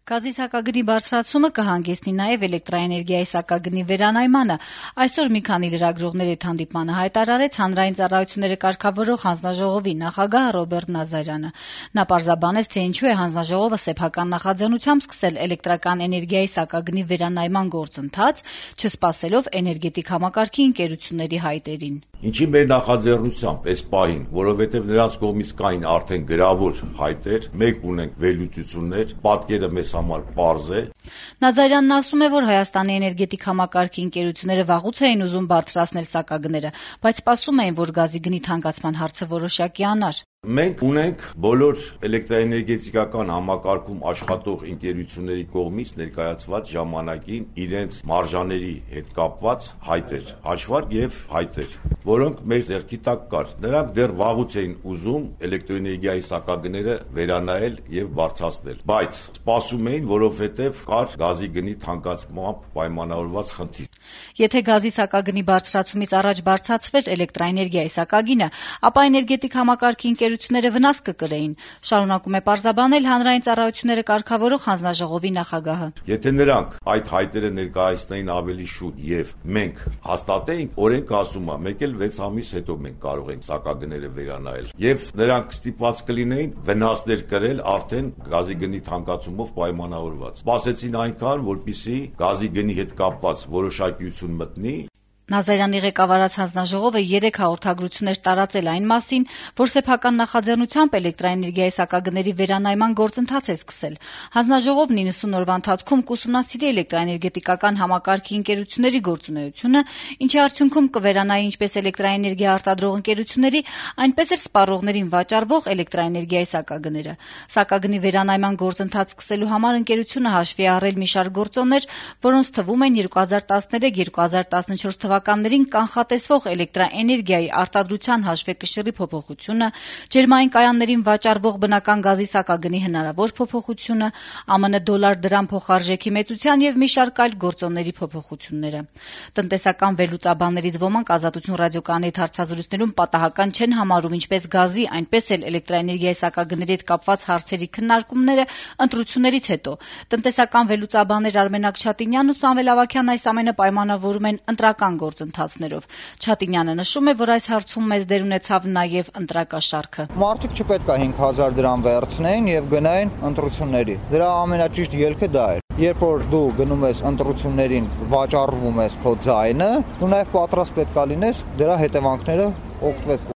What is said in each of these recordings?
Գազի սակագնի բարձրացումը կհանգեցնի նաև էլեկտրաէներգիայի սակագնի վերանայմանը։ Այսօր մի քանի լրագրողներ հետ հանդիպմանը հայտարարեց Հանրային ծառայությունները կարգավորող հանձնաժողովի նախագահ Ռոբերտ Նազարյանը։ Նա պարզաբանեց, թե ինչու է հանձնաժողովը սեփական նախաձեռնությամբ սկսել էլեկտրական էներգիայի սակագնի վերանայման գործընթաց, չսպասելով էներգետիկ համակարգի ընկերությունների հայտերին։ Ինչի մեր նախաձեռնությամբ այս պահին, որովհետև նրանց կողմից կային արդեն գրավոր հայտեր, մենք ունենք վերլուծություններ, պատկերը մեզ համար պարզ է։ Նազարյանն ասում է, որ Հայաստանի էներգետիկ համակարգի ընկերությունները վաղուց էին ուզում բարձրացնել սակագները, բայց սպասում էին, որ գազի գնի թանկացման հարցը որոշակի անար։ Մենք ունենք բոլոր էլեկտրաէներգետիկական համակարգում աշխատող ընկերությունների կողմից ներկայացված ժամանակին իրենց մարժաների հետ կապված հայտեր, հաշվարկ եւ հայտեր, որոնք մեր ձեռքի տակ կար։ Նրանք դեռ վաղուց էին ուզում էլեկտրոէներգիայի սակագները վերանայել եւ բարձրացնել, բայց սպասում էին, որովհետեւ կար գազի գնի թանկացմամբ պայմանավորված խնդիր։ Եթե գազի սակագնի բարձրացումից առաջ բարձրացվեր էլեկտրաէներգիայի սակագինը, ապա էներգետիկ համակարգի ընկերությունները վնաս կկրեին, շարունակում է պարզաբանել Հանրային ծառայությունները կարգավորող հանձնաժողովի նախագահը։ Եթե նրանք այդ հայտերը ներկայացնեին ավելի շուտ եւ մենք հաստատեինք, օրենքը ասում է, մեկ էլ 6 ամիս հետո մենք կարող ենք սակագները վերանայել եւ նրանք ստիպված կլինեին վնասներ կրել արդեն գազի գնի թանկացումով պայմանավորված։ Սպասեցին այնքան, որպեսզի գազի գնի հետ կապված որոշակիություն մտնի։ Նազարյանի ղեկավարած հանձնաժողովը 3 հաղորդագրություններ տարածել այն մասին, որ սեփական նախաձեռնությամբ էլեկտրաէներգիայի սակագների վերանայման գործընթաց է սկսել։ Հանձնաժողովն 90 օրվա ընթացքում կուսումնասիրի էլեկտրաէներգետիկական համակարգի ընկերությունների գործունեությունը, ինչի արդյունքում կվերանայի ինչպես էլեկտրաէներգիա արտադրող ընկերությունների, այնպես էլ սպառողներին վաճառվող էլեկտրաէներգիայի սակագները։ Սակագնի վերանայման գործընթաց սկսելու համար ընկերությունը հաշվի է առել մի շարք գործոններ, որոնց թվում են 2013-2014 թվականներին կանխատեսվող էլեկտրաէներգիայի արտադրության հաշվեկշիռի փոփոխությունը, ջերմային կայաններին վաճառվող բնական գազի սակագնի հնարավոր փոփոխությունը, ԱՄՆ դոլար-դրամ փոխարժեքի մեծության եւ մի շարք այլ գործոնների փոփոխությունները։ Տնտեսական վերլուծաբաններից ոմանք Ազատություն ռադիոկայանի հետ հարցազրույցներում պատահական չեն համարում ինչպես գազի, այնպես էլ էլեկտրաէներգիայի սակագների հետ կապված հարցերի քննարկումները ընտրություններից հետո։ Տնտեսական վերլուծաբաններ Արմեն Աքչատինյանն ու Սամվել Ավագյանն այս ամենը պայմանավորում են ընտրական գործընթացներով։ Չատինյանը նշում է, որ այս հարցում մեծ դեր ունեցավ նաև ընտրակաշառքը։ Մարդիկ չպետք է 5000 դրամ վերցնեին եւ գնային ընտրությունների։ Դրա ամենաճիշտ ելքը դա է։ Երբ որ դու գնում ես ընտրություններին, վաճառվում ես քո ձայնը, դու նաև պատրաստ պետք է լինես դրա հետևանքները օգտվել։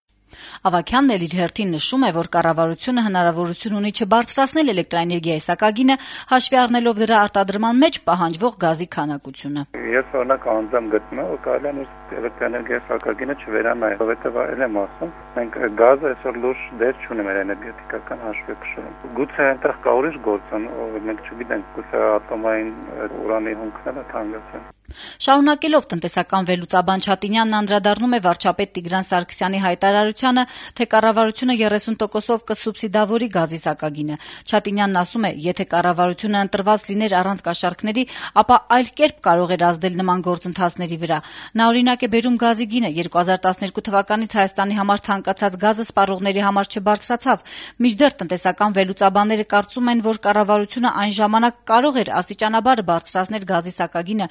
Ավագյանն էլ իր հերթին նշում է, որ կառավարությունը հնարավորություն ունի չբարձրացնել էլեկտրաէներգիայի սակագինը, հաշվի առնելով դրա արտադրման մեջ պահանջվող գազի քանակությունը։ Ես օրինակ անձամբ գտնում եմ, որ կարելի է էլեկտրաէներգիայի սակագինը չվերանայել, որովհետև այլ եմ ասում, մենք գազը այսօր լուրջ դեր չունենք մեր էներգետիկական հաշվեկշռում։ Գուցե այնտեղ կա ուրիշ գործոն, մենք չգիտենք, գուցե ատոմային ուրանի հումքները թանկացան։ Շարունակելով տնտեսական վերլուծաբան Չատինյանն անդրադառնում է վարչապետ Տիգրան Սարգսյանի հայտարարությանը, թե կառավարությունը 30%-ով կսուբսիդավորի գազի սակագինը։ Չատինյանն ասում է, եթե կառավարությունը ընտրված լիներ առանց կաշառքների, ապա այլ կերպ կարող էր ազդել նման գործընթացների վրա։ Նա օրինակ է բերում գազի գինը 2012 թվականից Հայաստանի համար թանկացած գազը սպառողների համար չբարձրացավ։ Մինչդեռ տնտեսական վերլուծաբանները կարծում են, որ կառավարությունը այն ժամանակ կարող էր աստիճանաբար բարձրացնել գազի սակագինը,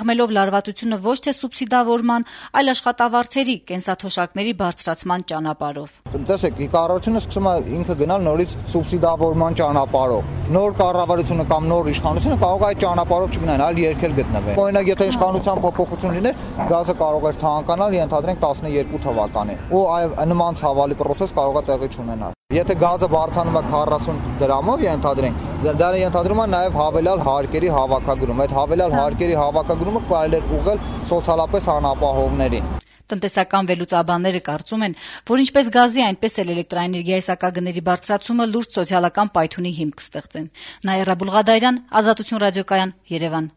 մեղմելով լարվածությունը ոչ թե սուբսիդավորման, այլ աշխատավարձերի, կենսաթոշակների բարձրացման ճանապարհով։ Տեսեք, կառավարությունը սկսում է ինքը գնալ նորից սուբսիդավորման ճանապարհով։ Նոր կառավարությունը կամ նոր իշխանությունը կարող է այդ ճանապարհով չգնան, այլ երկել գտնվեն։ Օրինակ, եթե իշխանության փոփոխություն լիներ, գազը կարող էր թանկանալ, ենթադրենք 12 թվականին։ Ու նման ցավալի process կարող է տեղի չունենալ։ Եթե գազը բարձրանում է 40 դրամով, ենթադրենք, դա ենթադրում է նաև հավելյալ հարկերի հավաքագրում։ Այդ հավելյալ հարկերի հավաքագրումը կարելի է ուղղել սոցիալապես անապահովներին։ Տնտեսական վերլուծաբանները կարծում են, որ ինչպես գազի, այնպես էլ էլեկտրաէներգիայի սակագների բարձրացումը լուրջ սոցիալական պայթյունի հիմք կստեղծեն։ Նաիրա Բուլղադարյան, Ազատություն ռադիոկայան, Երևան։